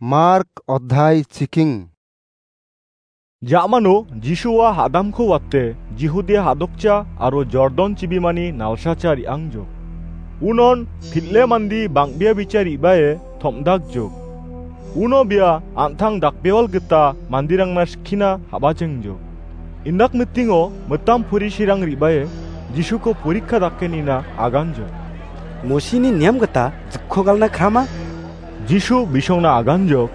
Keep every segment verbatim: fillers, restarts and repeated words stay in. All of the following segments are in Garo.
Mark odhai chiking. Ja·mano Jisua hadamko wate Jihudia hadokcha aro Jordan chibimani nalsacha re·angjok. Unon pil·e mandi bang·bea bicha re·bae tom·dakjok. Uno bia an·tang dakbewal gita manderangna skina ha·bachengjok. Indak mitingo mitam porisirang re·bae Jisuko porikka dake nina aganjok. Mosini niam gita jikko galna krama? Jisu bisongna aganjok.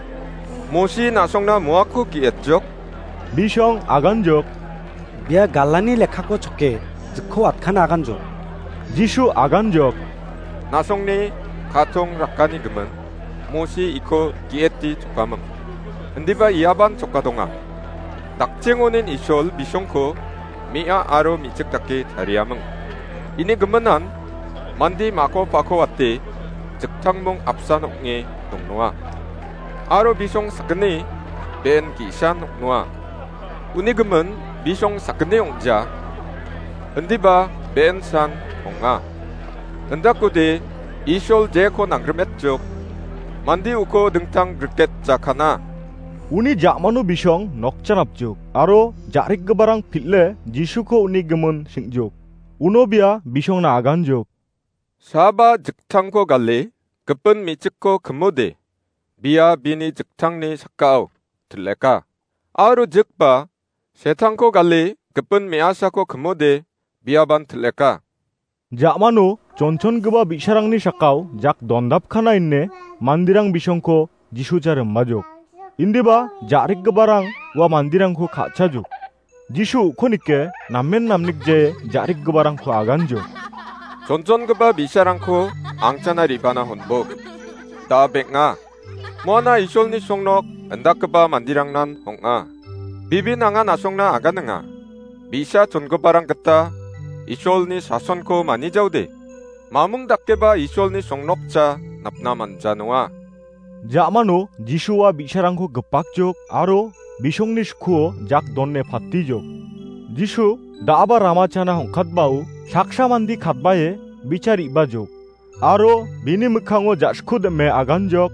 Mosi na·songna moako ge·etjok. Bisong aganjok. Bia galani lekkako choke jikko atkana aganjok. Jisu aganjok. Na·songni katong rakani gimin Mosi iko ge·eti chokaming. Indiba iaban choka donga. Dakchengonin Isol bisongko me·a aro me·chik dake tariaming. Ini giminan mande mako pako wate jiktangmong apsan ong·e dongnoa. Aro bisong sakgni be·en ge·san ong·noa. Uni gimin bisong sakgni ong·ja. Indiba be·en san ong·a. Indakode Isol jeko nangrimetjok. Mande uko dingtang griket jakana. Uni ja·mano bisong nokjanapjok aro ja·rikgiparang pil·e Jisuko uni gimin sing·jok. Uno bia bisongna aganjok. Saba jiktangko gale gipin me·chikko kimode, bia bini jiktangni sakao til·eka. Aro jikba setangko gale gipin me·asako kimode, biaban til·eka. Ja·mano chonchongipa bi·sarangni sakao jak dondapkana ine manderang bisongko Jisucha rimbajok. Indiba ja·rikgiparang ua manderangko ka·chajok. Jisu uko nike namen namnikje ja·rikgiparangko aganjok. Chonchongipa bi·sarangko angchana re·bana honbo. Da·a beng·a. Moana Isolni songnok indakgipa manderangnan hong·a. Bibin anga na·songna aganinga. Bi·sa chongiparang gita Isolni sasonko manijaode, mamung dakeba Isolni songnokcha napna manja nonga. Ja·mano Jisua bi·sarangko gipakjok aro bisongni skuo jak done patijok. Jisu da·aba ramachana hongkatbao saksa mande katbae bicha re·bajok. Aro bini mikkango ja·sku dim·e aganjok.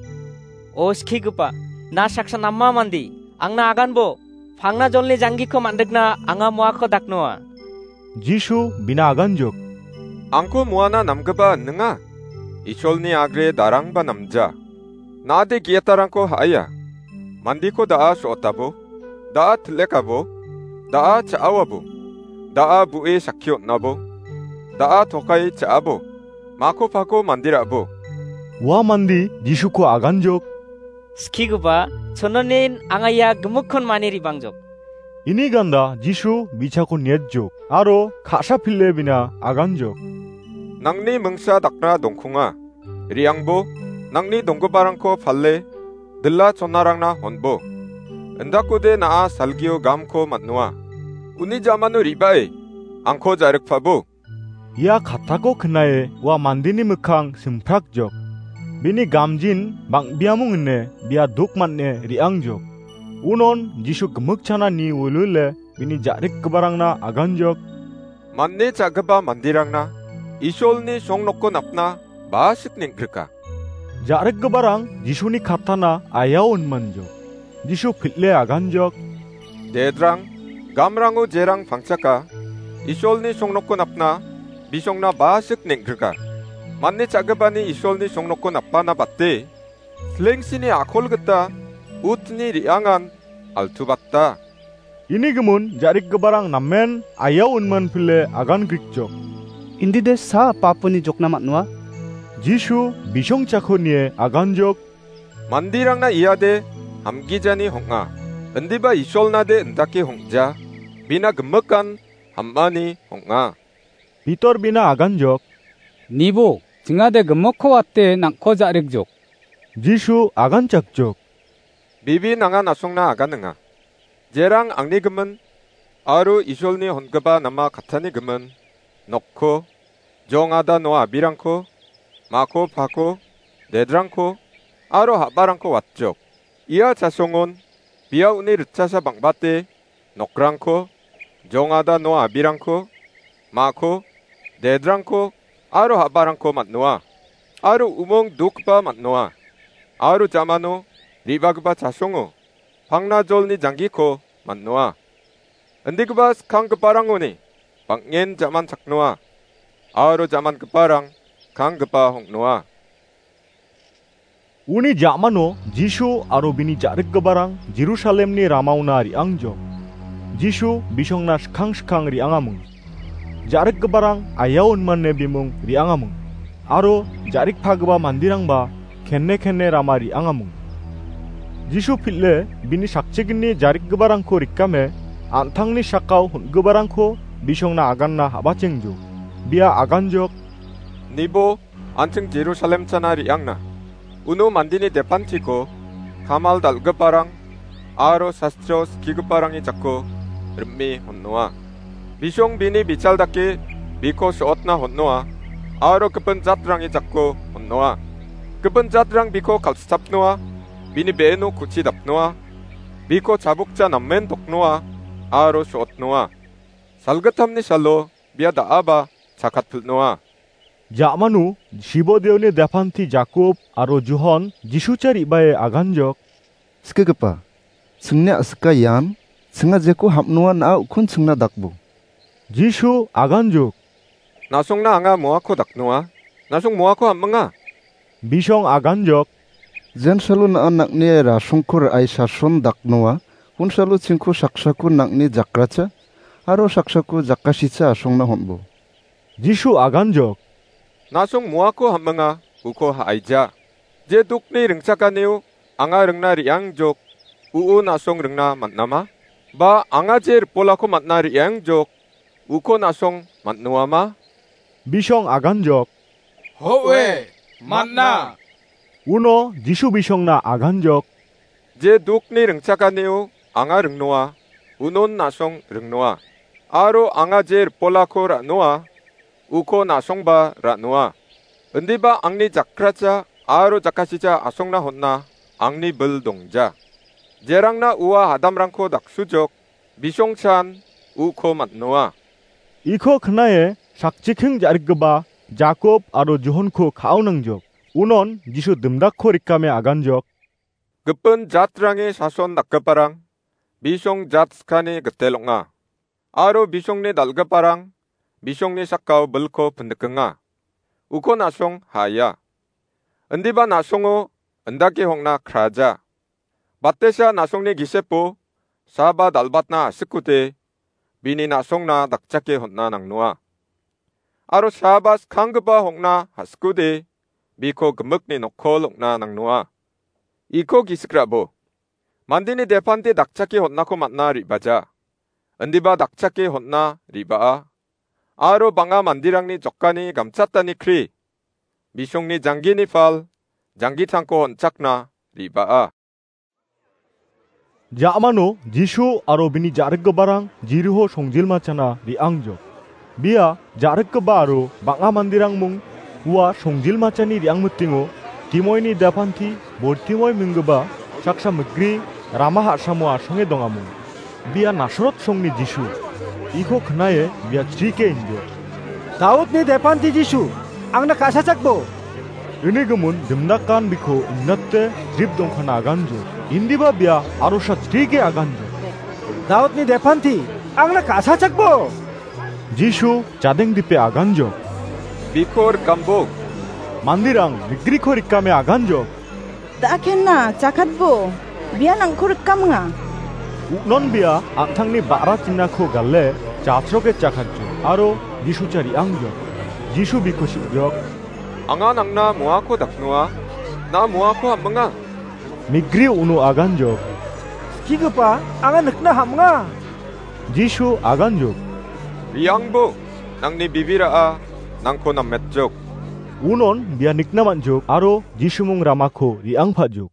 O skigipa, na saksa nama mande, angna aganbo, pangna jolni janggiko man·rikna anga moako daknoa. Jisu bina aganjok. Angko moana namgipa ninga, Isolni agre darangba namja. Na·ade ge·etarangko ha·aia. Mandeko da·a so·otabo, da·a til·ekabo, da·a cha·awabo, da·a bu·e sakki on·abo, da·a tokai cha·abo, mako pako manderabo. Ua mande Jisuko aganjok. Skigipa, chononin anga ia gimikkon mani re·bangjok. Ini ganda Jisu bi·sako niatjok aro ka·sa pil·e bina aganjok. Nangni mingsa dakna dongkonga. Re·angbo, nangni donggiparangko pale, dila chonarangna honbo. Indakode na·a salgio gamko man·noa. Uni ja·mano re·bae, angko ja·rikpabo. Ia kattako knae ua mandeni mikkang simprakjok. Bini gamjin bang·biamung ine bia duk man·e re·angjok. Unon Jisu gimikchana ni wilwile bini ja·rikgiparangna aganjok. Man·e cha·gipa manderangna Isolni songnokko napna basik neng·grika. Ja·rikgiparang Jisuni kattana ayao inmanjok. Jisu pil·e aganjok. Dedrang, gamrango jerang pangchaka, Isolni songnokko napna bisongna basik neng·grika. Man·e cha·gipani Isolni songnokko napana bate, slengsini akol gita utni re·angan altubata. Ini gimin ja·rikgiparang namen ayao inman pile agan grikjok. Indide sa papuni jokna man·noa? Jisu bisongchako nie aganjok. Manderangna iade hamgijani hong·a. Indiba Isolnade indake hong·ja. Bina gimikan ham·ani hong·a. Pitor bina aganjok. Nibo, chingade gimikko wate nangko ja·rikjok. Jisu aganchakjok. Bibi nanga na·songna aganinga. Jerang angni gimin, aro Isolni hongipa nama kattani gimin, nokko, jongada no abirangko, mako pako, dedrangko, aro ha·barangko watjok. Ia chasongon, bia uni ritchasa bang·bate, nokrangko, jongada no abirangko, mako, dedrangko, aro ha·barangko man·noa, aro umong dokgipa man·noa, aro jamano re·bagipa chasongo pangna jolni janggiko man·noa. Indigipa skanggiparangoni bang·en ja·man chaknoa, aro ja·mangiparang skanggipa ong·noa. Uni ja·mano Jisu aro bini ja·rikgiparang Jerusalemni ramaona re·angjok. Jisu bisongna skang skang re·angaming. Ja·rikgiparang ayao inmane bimung re·angaming. Aro ja·rikpagipa manderangba kenne kenne rama re·angaming. Jisu pil·e bini sakchigni ja·rikgiparangko rikame an·tangni sakao hon·giparangko bisongna aganna habachengjok. Bia aganjok. Nibo an·ching Jerusalem chana re·angna. Uno mandeni depantiko kamal dal·giparang aro sastro skigiparangni jako rim·e hon·noa. Bisong bini bichal dake biko so·otna hon·noa aro gipin jatrangni jako hon·noa. Gipin jatrang biko kal·stapnoa, bini be·eno ku·chi dapnoa, biko chabokja namen doknoa aro so·otnoa. Salgittamni salo bia da·aba chakatpilnoa. Ja·mano Sibodeoni depanti Jakob aro Johon Jisucha re·bae aganjok. Skigipa, chingni a·sika ian, chinga jeko hapnoa na·a ukon chingna dakbo. Jisu aganjok. Na·songna anga moako daknoa, na·song moako hapminga. Bisong aganjok. Jensalo na·a nang·ni rasongko ra·e sason daknoa, honsalo chingko saksako nang·ni jakracha, aro saksako jakasicha asongna hon·bo. Jisu aganjok. Na·song moako hapminga, uko ha·aija. Je dokni ringchakanio anga ringna re·angjok, u·o na·song ringna man·ama? Ba anga je ripolako man·na re·angjok, uko na·song man·noama? Bisong aganjok. Ho·e, man·a. Uno Jisu bisongna aganjok. Je dokni ringchakanio anga ringnoa, unon na·song ringnoa. Aro anga je ripolako ra·noa, uko na·songba ra·noa. Indiba angni jakracha aro jakasicha asongna hon·a angni bil dongja. Jerangna ua adamrangko daksujok, bisongchan uko man·noa. Iko knae sakchiking ja·rikgipa Jakob aro Johonko ka·aonangjok. Unon Jisu dimdakko rikame aganjok. Gipin jatrange sason dakgiparang bisong jat skani gitel ong·a. Aro bisongni dal·giparang bisongni sakao bilko pindikenga. Uko na·song ha·aia. Indiba na·songo indake hong·na kraja. Batesa na·songni gisepo saba dal·batna asikode bini na·songna dakchake hon·na nangnoa. Aro saba skanggipa hong·na asikode biko gimikni nokkol ong·na nangnoa. Iko gisik ra·bo. Mandeni depante dakchake hon·nako man·na re·baja. Indiba dakchake hon·na re·baa. Aro bang·a manderangni jokani gamchatani kri, bisongni janggini pal, janggitangko on·chakna re·baa. Ja·mano Jisu aro bini ja·rikgiparang Jeriho songjilmachana re·angjok. Bia ja·rikgipa aro bang·a manderang mung ua songjilmachani re·angmitingo Timoini dapanti Bortimoi minggipa saksa mikri rama ha·samo asonge dongamung. Bia Nasarot songni Jisu. Iko knae bia chrike injo. Daudni depanti Jisu, angna ka·sachakbo. Ini gimin dimdakan biko indate jrip dongkana aganjo. Indiba bia arosa chrike aganjo. Daudni depanti, angna ka·sachakbo. Jisu jadeng dipe aganjo. Biko rikambo. Mandirang mikriko rikame aganjo. Da·kenna, jakatbo, bia nangko rikamenga. Uknon bia an·tangni ba·ra chinako gale, jatroke jakatjo, aro Jisu chariangjo. Jisu biko sik·jok. Anga nangna moako daknoa, na moako ham·minga. Migri uno aganjok. Skigipa, anga nikna ham·nga. Jisu aganjok. Riangbo, nangni bibira·a, nangko nametjok. Unon bia nikna man·jok, aro Jisumung ramako riangpajok.